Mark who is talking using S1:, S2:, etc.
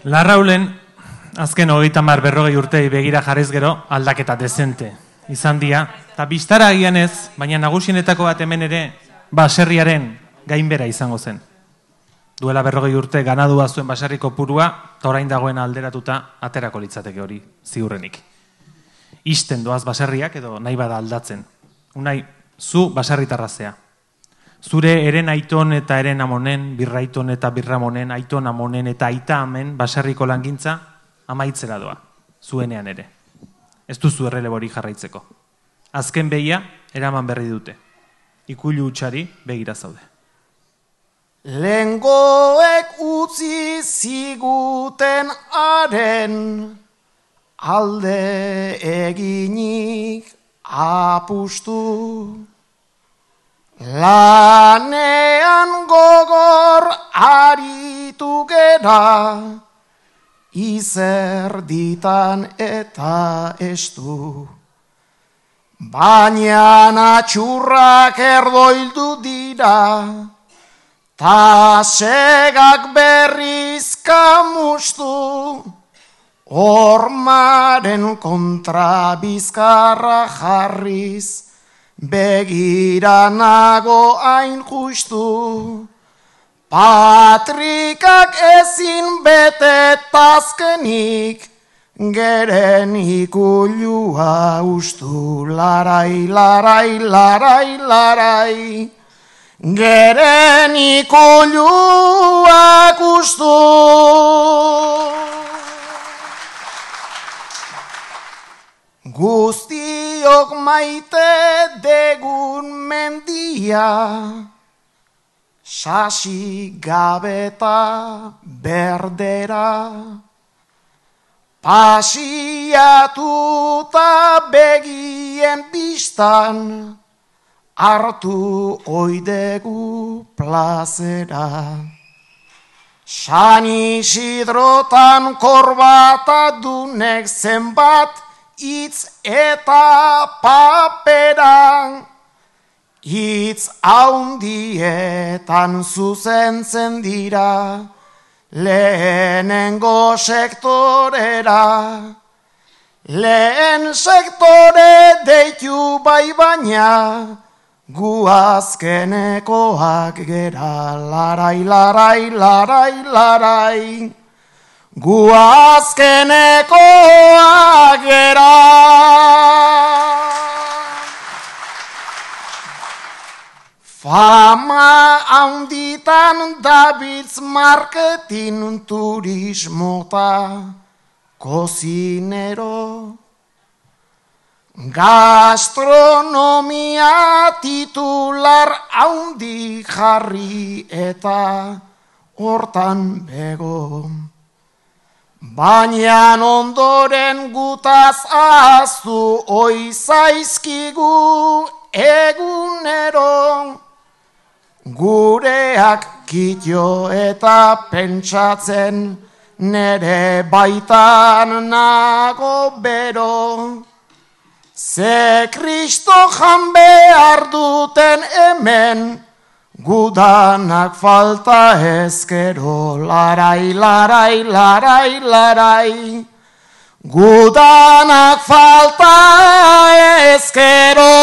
S1: Larraulen, azken 30-40 urtei begira jarrez gero, aldaketa dezente izan dira. Eta bistara agian ez, baina nagusienetako bat hemen ere, baserriaren gainbera izango zen. Duela 40 urte ganadua zuen baserriko purua, eta orain dagoen alderatuta aterako litzateke hori ziurrenik. Isten doaz baserriak edo nahi bada aldatzen. Unai, zu baserritarrazea. Zure eren aiton eta eren amonen, birraiton eta birramonen, aiton amonen eta aita amen baserriko langintza amaitzera doa, zuenean ere. Ez duzu errelebori jarraitzeko. Azken behia, eraman berri dute. Ikulu utxari begira zaude.
S2: Lengoek utzi ziguten haren, alde eginik apustu. Lanean gogor aritu gera, izerditan eta estu. Baina atxurrak erdoildu dira, ta segak berriz kamustu. Hormaren kontra bizkarra jarriz, begira nago hain justu. Patrikak ezin bete tazkenik, geren ikulua ustu. Larai, larai, larai, larai, geren ikulua ustu. Guztiok maite degun mendia, sasi gabeta berdera. Pasiatuta begien bistan, hartu oidegu plazera. San Isidrotan korbata dunek zenbat, itz eta papera, itz haundietan zuzentzen dira, lehenengo sektorera. Lehen sektore deitu bai baina, gu azkenekoak gera. Larai, larai, larai, larai, gu azkenekoak gera. Fama handitan dabiltz marketing turismota, kozinero. Gastronomia titular handi jarri eta hortan bego. Baina ondoren gutaz aztu oizaizkigu egunero. Gureak kitio eta pentsatzen nere baitan nago bero. Ze Kristo jan behar duten hemen, gudanak falta ezkero. Larai, larai, larai, larai, gudanak falta ezkero.